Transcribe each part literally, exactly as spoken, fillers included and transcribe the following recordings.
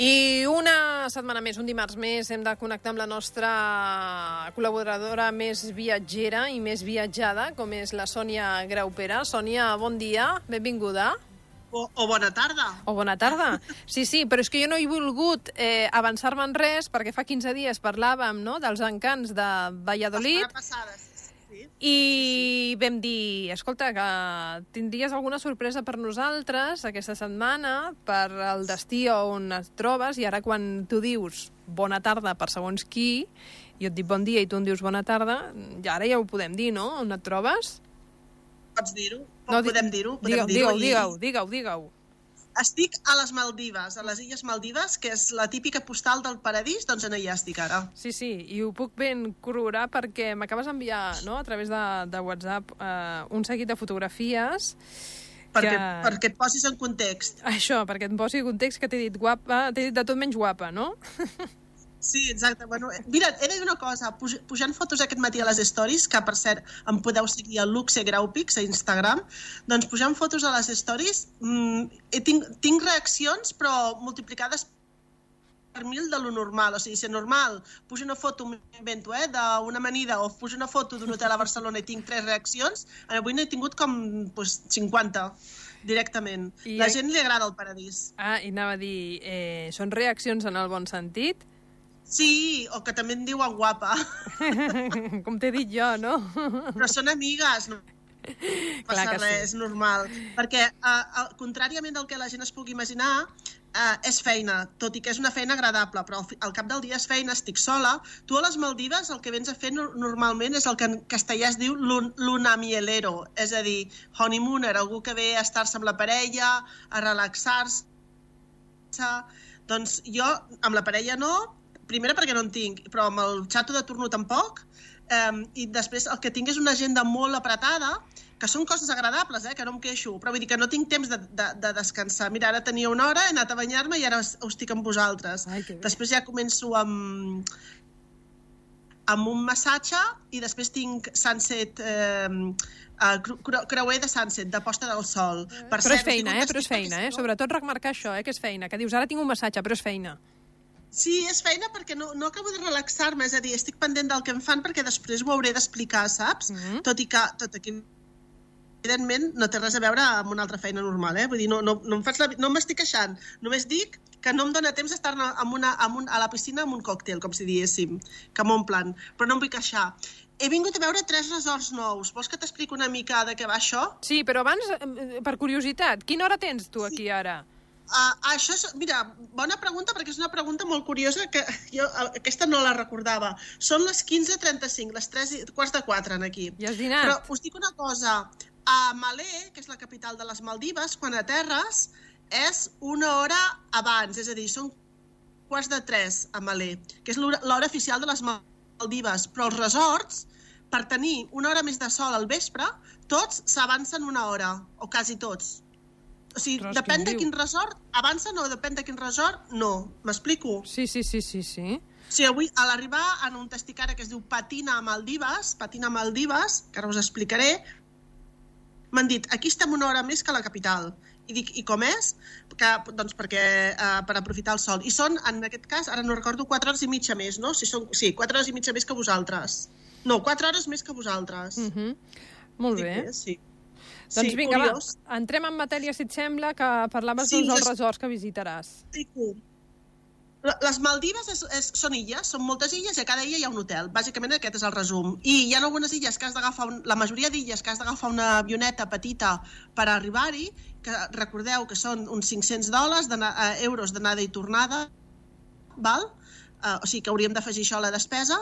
I una setmana més, un dimarts més, hem de connectar amb la nostra col·laboradora més viatgera i més viatjada, com és la Sònia Graupera. Sònia, bon dia, benvinguda. O, o bona tarda. O bona tarda. Sí, sí, però és que jo no he volgut eh, avançar-me en res, perquè fa quinze dies parlàvem, no?, dels encants de Valladolid. La setmana passada, sí. Sí. I sí, sí. Vam dir, escolta, que tindries alguna sorpresa per nosaltres aquesta setmana, per el destí on et trobes, i ara quan tu dius bona tarda per segons qui, jo et dic bon dia i tu em dius bona tarda, i ara ja ho podem dir, no?, on et trobes? Pots dir-ho? No, podem dir-ho? Digueu, digueu, digueu, digueu, digueu. Estic a les Maldives, a les Illes Maldives, que és la típica postal del paradís, doncs en allà estic ara. Sí, sí, i ho puc ben corroborar perquè m'acabes d'enviar, no?, a través de, de WhatsApp eh, un seguit de fotografies perquè, que... perquè et posis en context. Això, perquè et posi en context, que t'he dit guapa, t'he dit de tot menys guapa, no? Sí, exacte. Bueno, mira, he de dir una cosa, puj pujant fotos aquest matí a les stories, que per cert em podeu seguir a Luxe Graupix a Instagram, doncs pujant fotos a les stories mmm, tinc, tinc reaccions però multiplicades per mil de lo normal. O sigui, si normal pujo una foto, m'invento, eh, d'una amanida, o pujo una foto d'un hotel a Barcelona i tinc tres reaccions, avui n'he tingut com pues, cinquanta directament. I la gent li agrada el paradís. Ah, i anava a dir, eh, són reaccions en el bon sentit? Sí, o que també em diuen guapa. Com t'he dit jo, no? Però són amigues, no passa res, sí. És normal. Perquè, uh, contràriament al que la gent es pugui imaginar, uh, és feina, tot i que és una feina agradable, però al, al cap del dia és feina, estic sola. Tu a les Maldives el que vens a fer no, normalment és el que en castellà es diu lunamielero, és a dir, honeymooner, algú que ve a estar-se amb la parella, a relaxar-se. Doncs jo, amb la parella no, primera perquè no en tinc, però amb el xato de torno tampoc, um, i després el que tinc és una agenda molt apretada, que són coses agradables, eh, que no em queixo, però vull dir que no tinc temps de, de, de descansar. Mira, ara tenia una hora, he anat a banyar-me i ara estic amb vosaltres. Ai, després ja començo amb, amb un massatge i després tinc sunset, eh, creuer de sunset, de posta del sol. Per però cert, és feina, eh, però és feina, eh? Sobretot remarcar això, eh, que és feina, que dius, ara tinc un massatge, però és feina. Sí, és feina perquè no, no acabo de relaxar-me, és a dir, estic pendent del que em fan perquè després ho hauré d'explicar, saps? Mm-hmm. Tot i que, tot aquí, evidentment, no té res a veure amb una altra feina normal, eh? Vull dir, no, no, no em faig la, no m'estic queixant, només dic que no em dóna temps d'estar amb una, amb un, a la piscina amb un còctel, com si diguéssim, que m'omplen, però no em vull queixar. He vingut a veure tres resorts nous. Vols que t'explico una mica de què va això? Sí, però abans, per curiositat, quina hora tens tu aquí ara? Uh, això és, mira, bona pregunta perquè és una pregunta molt curiosa que jo aquesta no la recordava. Són les quinze trenta-cinc, les tres quarts de quatre aquí. Ja has dinat? Però us dic una cosa, a Malé, que és la capital de les Maldives, quan aterres és una hora abans, és a dir, són quarts de tres a Malé, que és l'hora oficial de les Maldives, però els resorts, per tenir una hora més de sol al vespre, tots s'avancen una hora, o quasi tots. O sigui, Ros, depèn de quin resort, avancen o depèn de quin resort, no. M'explico? Sí, sí, sí, sí, sí. O sigui, avui, a l'arribar en un estic ara que es diu Patina Maldives, Patina Maldives, que ara us explicaré, m'han dit, aquí estem una hora més que la capital. I dic, i com és? Que, doncs perquè, uh, per aprofitar el sol. I són, en aquest cas, ara no recordo, quatre hores i mitja més, no? Si són, sí, quatre hores i mitja més que vosaltres. No, quatre hores més que vosaltres. Mm-hmm. Molt dic bé. bé. Sí. Doncs sí, vinga, curiós. Va, entrem en matèria, si et sembla, que parlaves sí, dels les... resorts que visitaràs. Les Maldives és, és, són illes, són moltes illes i a cada illa hi ha un hotel. Bàsicament aquest és el resum. I hi ha algunes illes que has d'agafar, un... la majoria d'illes que has d'agafar una avioneta petita per arribar-hi, que recordeu que són uns cinc-cents dòlars, de, uh, euros d'anada i tornada, val? Uh, o sigui que hauríem d'afegir això a la despesa.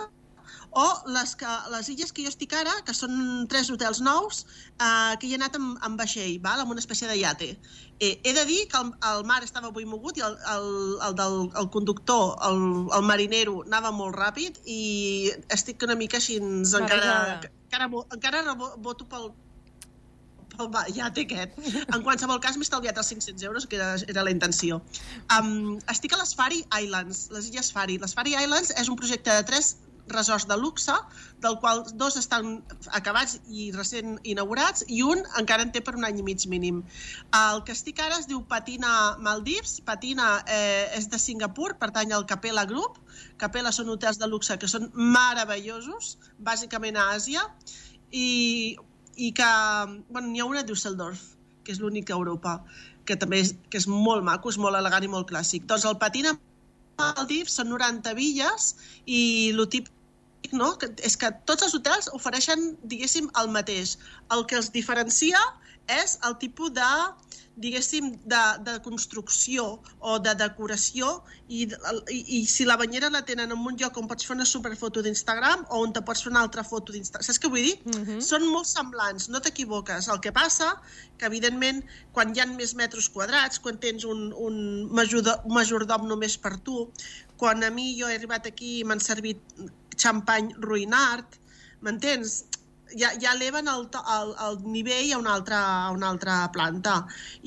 O les, que, les illes que jo estic ara, que són tres hotels nous, eh, que hi he anat amb, amb vaixell, val? Amb una espècie de iate. Eh, he de dir que el, el mar estava avui mogut i el, el, el del el conductor, el, el marinero, anava molt ràpid i estic una mica així, encara, encara, encara reboto pel, pel iate aquest. En qualsevol cas m'he estalviat els cinc-cents euros, que era, era la intenció. Um, estic a les Faroe Islands, les illes Faroe. Les Faroe Islands és un projecte de tres resorts de luxe, del qual dos estan acabats i recent inaugurats i un encara en té per un any i mig mínim. El que estic ara es diu Patina Maldives. Patina eh, és de Singapur, pertany al Capella Group. Capella són hotels de luxe que són meravellosos, bàsicament a Àsia, i, i que bueno, n'hi ha una a Düsseldorf, que és l'única a Europa, que també és, que és molt maco, és molt elegant i molt clàssic. Doncs el Patina Maldives són noranta villes i el típic no? és que tots els hotels ofereixen, diguéssim, el mateix. El que els diferencia és el tipus de, diguéssim, de, de construcció o de decoració i, i, i si la banyera la tenen en un lloc on pots fer una superfoto d'Instagram o on te pots fer una altra foto d'Instagram. Saps què vull dir? Uh-huh. Són molt semblants, no t'equivoques. El que passa que, evidentment, quan hi ha més metres quadrats, quan tens un, un majordom només per tu, quan a mi jo he arribat aquí i m'han servit xampany Ruinart, m'entens? Ja, ja eleven el, el, el nivell a una altra, a una altra planta.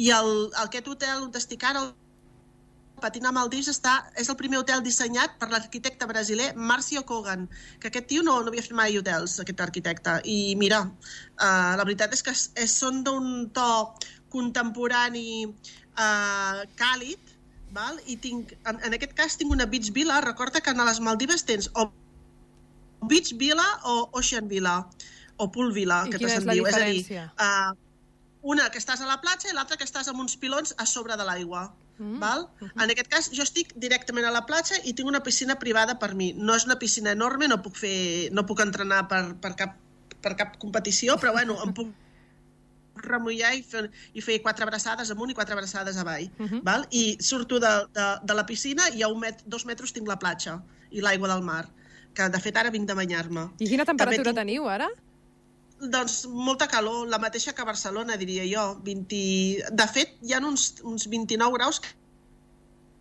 I el, aquest hotel on estic ara, el Patina Maldives, està, és el primer hotel dissenyat per l'arquitecte brasiler Márcio Kogan, que aquest tio no, no havia fet mai hotels, aquest arquitecte. I mira, uh, la veritat és que és, és, són d'un to contemporani uh, càlid, val? I tinc, en, en aquest cas tinc una beach villa. Recorda que a les Maldives tens o beach villa o ocean villa, o pool villa, que se'n diu. És a dir, uh, una que estàs a la platja i l'altra que estàs amb uns pilons a sobre de l'aigua. Mm. Val? Uh-huh. En aquest cas, jo estic directament a la platja i tinc una piscina privada per mi. No és una piscina enorme, no puc, fer, no puc entrenar per, per, cap, per cap competició, però bueno, em puc remullar i fer, i fer quatre abraçades amunt i quatre abraçades avall. Uh-huh. Val? I surto de, de, de la piscina i a un met, dos metres tinc la platja i l'aigua del mar, que de fet ara vinc de banyar-me. I quina temperatura tinc... teniu ara? Doncs molta calor, la mateixa que a Barcelona, diria jo. vint... De fet, hi ha uns, uns vint-i-nou graus que,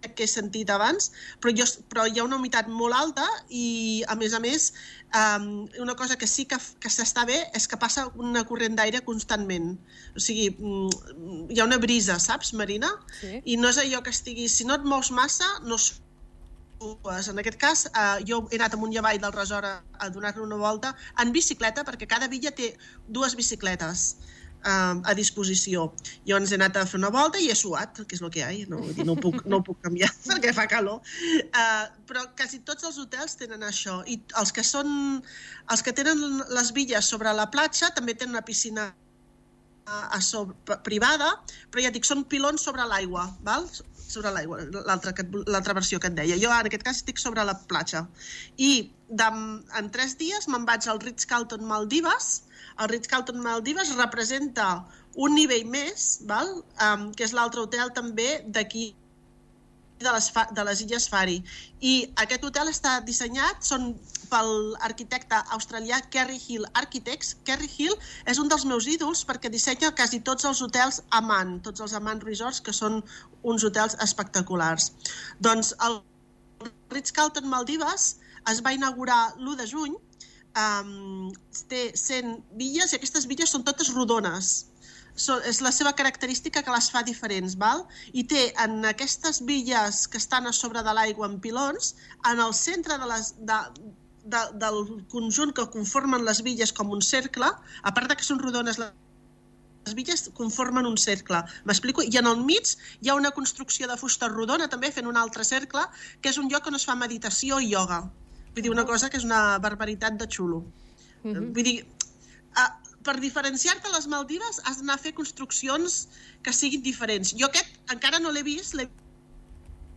que he sentit abans, però, jo, però hi ha una humitat molt alta i, a més a més, um, una cosa que sí que, que s'està bé és que passa una corrent d'aire constantment. O sigui, hi ha una brisa, saps, Marina? Sí. I no és allò que estigui... Si no et mous massa, no sues. En aquest cas, eh, jo he anat amunt i avall del resort a, a donar-li una volta en bicicleta, perquè cada villa té dues bicicletes eh, a disposició. Llavors he anat a fer una volta i he suat, que és el que hi ha, no, no, puc, no ho puc canviar perquè fa calor. Eh, però quasi tots els hotels tenen això. I els que, són, els que tenen les villes sobre la platja també tenen una piscina a sobre, privada, però ja dic, són pilons sobre l'aigua, val? sobre l'aigua, l'altra versió que et deia. Jo en aquest cas estic sobre la platja. I de, en tres dies me'n vaig al Ritz-Carlton Maldives. El Ritz-Carlton Maldives representa un nivell més, val? Um, que és l'altre hotel també d'aquí de les, de les Illes Fari. I aquest hotel està dissenyat, són pel arquitecte australià Kerry Hill Architects. Kerry Hill és un dels meus ídols perquè dissenya quasi tots els hotels Aman, tots els Aman Resorts, que són uns hotels espectaculars. Doncs el Ritz-Carlton Maldives es va inaugurar l'u de juny, um, té cent villes i aquestes villes són totes rodones. So, és la seva característica que les fa diferents, val? I té en aquestes villes que estan a sobre de l'aigua en pilons, en el centre de les, de, de, del conjunt que conformen les villes com un cercle, a part de que són rodones, les villes conformen un cercle, m'explico? I en el mig hi ha una construcció de fusta rodona, també fent un altre cercle, que és un lloc on es fa meditació i ioga. Vull dir, una cosa que és una barbaritat de xulo. Mm-hmm. Vull dir, uh, per diferenciar-te a les Maldives has d'anar a fer construccions que siguin diferents. Jo aquest encara no l'he vist, l'he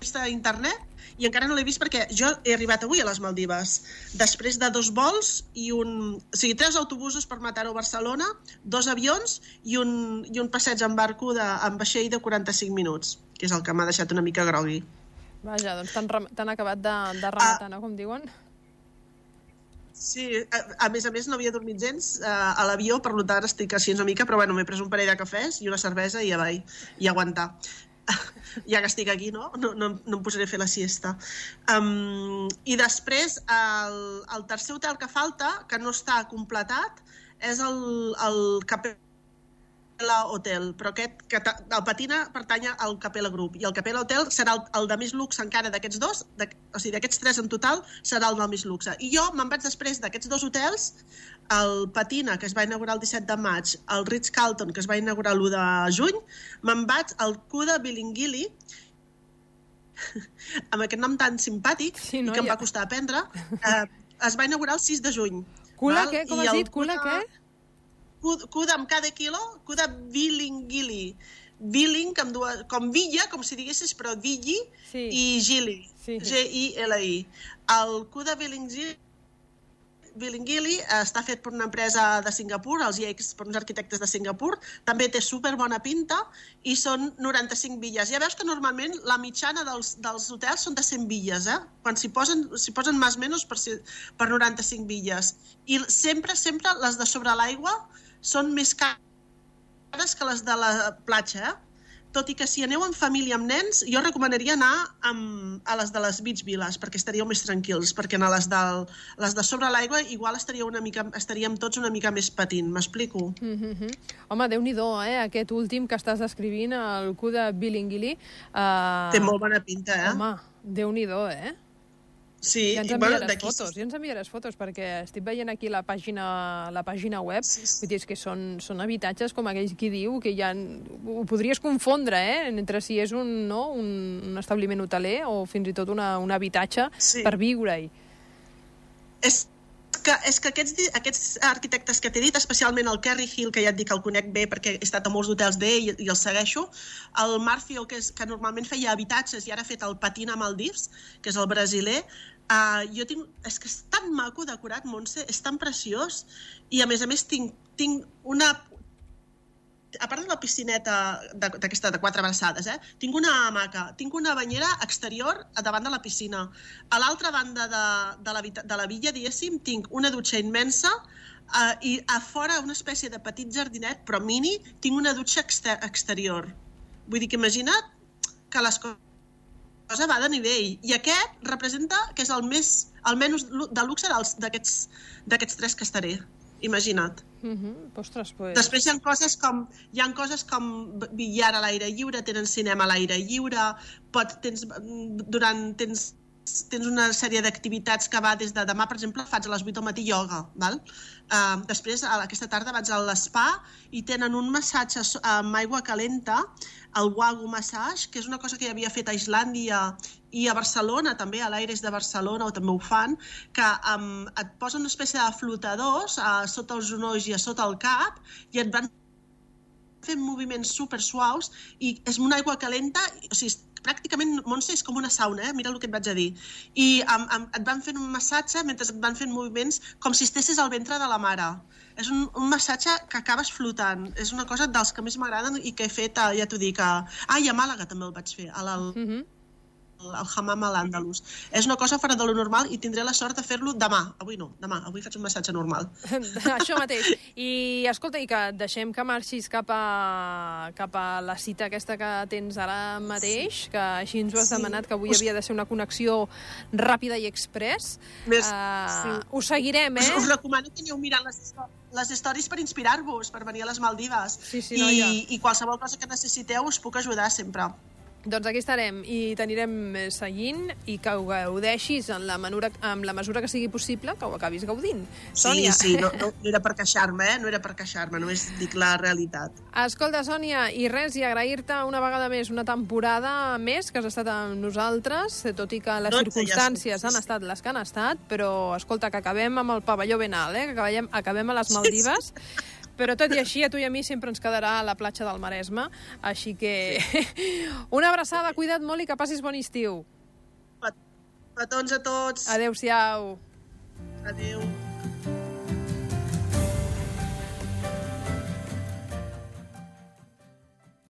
vist a internet i encara no l'he vist perquè jo he arribat avui a les Maldives després de dos vols i un... O sigui, tres autobusos per Mataró a Barcelona, dos avions i un, i un passeig en barco de, en vaixell de quaranta-cinc minuts, que és el que m'ha deixat una mica grogui. Vaja, doncs t'han acabat de, de rematar, no? Com diuen. Sí, a, a més a més no havia dormit gens uh, a l'avió, per tant estic així una mica, però bueno, m'he pres un parell de cafès i una cervesa i ja vaig, i aguantar. Ja que estic aquí, no? No, no, no em posaré a fer la siesta. Um, I després, el, el tercer hotel que falta, que no està completat, és el, el Capella Hotel, però aquest, que el Patina pertany al Capella Group, i el Capella Hotel serà el, el de més luxe encara d'aquests dos, de, o sigui, d'aquests tres en total, serà el del més luxe. I jo me'n vaig després d'aquests dos hotels, el Patina, que es va inaugurar el disset de maig, el Ritz-Carlton, que es va inaugurar l'u de juny, me'n vaig al Cuda Bilingili, amb aquest nom tan simpàtic, sí, no, i que ja em va costar aprendre, eh, es va inaugurar el sis de juny. Cula què? Com has dit? Cula què? Cuda amb cada quilo, Cuda Bilingili. Billing, com, dues, com Villa, com si diguessis, però Villi, sí. I Gili, sí. G I L I. El Cuda Bilingili Bilingili està fet per una empresa de Singapur, els Yakes, per uns arquitectes de Singapur, també té superbona pinta i són noranta-cinc villes. Ja veus que normalment la mitjana dels, dels hotels són de cent villes, eh? Quan s'hi posen, s'hi posen més o menys per, per noranta-cinc villes. I sempre, sempre les de sobre l'aigua són més cares que les de la platja, eh? Tot i que si aneu en família amb nens, jo recomanaria anar amb, a les de les beach villas, perquè estaríeu més tranquils, perquè a les, del, les de sobre l'aigua igual estaríeu una mica, estaríem tots una mica més patint, m'explico? Mm-hmm. Home, Déu-n'hi-do, eh? Aquest últim que estàs descrivint, el Cuda Bilingili. Uh... Té molt bona pinta, eh? Home, Déu-n'hi-do, eh? Sí, ja ens enviaràs bueno, fotos, ja ens enviaràs fotos, perquè estic veient aquí la pàgina, la pàgina web, sí, sí. Vull dir, és que són, són habitatges com aquells qui diu, que ja ho podries confondre, eh? Entre si és un, no, un, un establiment hoteler o fins i tot una, un habitatge sí. Per viure-hi. És que, és que aquests, aquests arquitectes que t'he dit, especialment el Kerry Hill, que ja et dic que el conec bé perquè he estat a molts hotels d'ell i, i el segueixo, el Marfio, que, és, que normalment feia habitatges i ara ha fet el Patina Maldives, que és el brasiler, Uh, jo tinc, és que és tan maco decorat, Montse, és tan preciós, i a més a més tinc, tinc una, a part de la piscineta d'aquesta de quatre abraçades, eh, tinc una hamaca, tinc una banyera exterior davant de la piscina. A l'altra banda de, de, la, de la villa, diguéssim, tinc una dutxa immensa, uh, i a fora una espècie de petit jardinet, però mini, tinc una dutxa exter exterior. Vull dir que imagina't que les coses cosa va de nivell, i aquest representa que és el més, el menys de luxe d'aquests tres que estaré, imagina't. Mm-hmm. Ostres, pues... Després hi ha coses com hi ha coses com billar a l'aire lliure, tenen cinema a l'aire lliure, pot, tens, durant, tens, tens una sèrie d'activitats que va des de demà, per exemple, faig a les vuit del matí ioga, val? Uh, després, aquesta tarda vaig a l'espa i tenen un massatge amb aigua calenta, el Wagu Massage, que és una cosa que ja havia fet a Islàndia i a Barcelona, també a l'Aires de Barcelona, o també ho fan, que um, et posen una espècie de flotadors uh, sota els genolls i a sota el cap i et van fent moviments super suaus i és una aigua calenta, o sigui, pràcticament, Montse, és com una sauna, eh? Mira el que et vaig a dir. I um, um, et van fent un massatge mentre et van fent moviments com si estessis al ventre de la mare. És un, un massatge que acabes flotant. És una cosa dels que més m'agraden i que he fet, ja t'ho dic, a... Ah, i a Màlaga també el vaig fer, al mm-hmm. el Hammam al-Àndalus. És una cosa fora de lo normal i tindré la sort de fer-lo demà. Avui no, demà. Avui faig un massatge normal. Això mateix. I escolta, i que deixem que marxis cap a, cap a la cita aquesta que tens ara mateix, sí. Que així ens ho has sí. Demanat, que avui Us... havia de ser una connexió ràpida i express. Més... Uh, sí. Ho seguirem, eh? Us, us recomano que aneu mirant les les històries per inspirar-vos, per venir a les Maldives. Sí, sí, I, no, ja. I qualsevol cosa que necessiteu us puc ajudar sempre. Doncs aquí estarem i t'anirem seguint i que ho gaudeixis en la, manura, en la mesura que sigui possible, que ho acabis gaudint. Sònia. Sí, sí, no, no, no era per queixar-me, eh? No era per queixar-me, només dic la realitat. Escolta, Sònia, i res, i agrair-te una vegada més, una temporada més que has estat amb nosaltres, tot i que les no, circumstàncies ja han estat les que han estat, però, escolta, que acabem amb el pavelló ben alt, eh? Que acabem, acabem a les Maldives. Sí, sí. Però tot i així, a tu i a mi sempre ens quedarà a la platja del Maresme, així que sí. Una abraçada, cuida't molt i que passis bon estiu. Petons a tots. Adéu-siau. Adéu.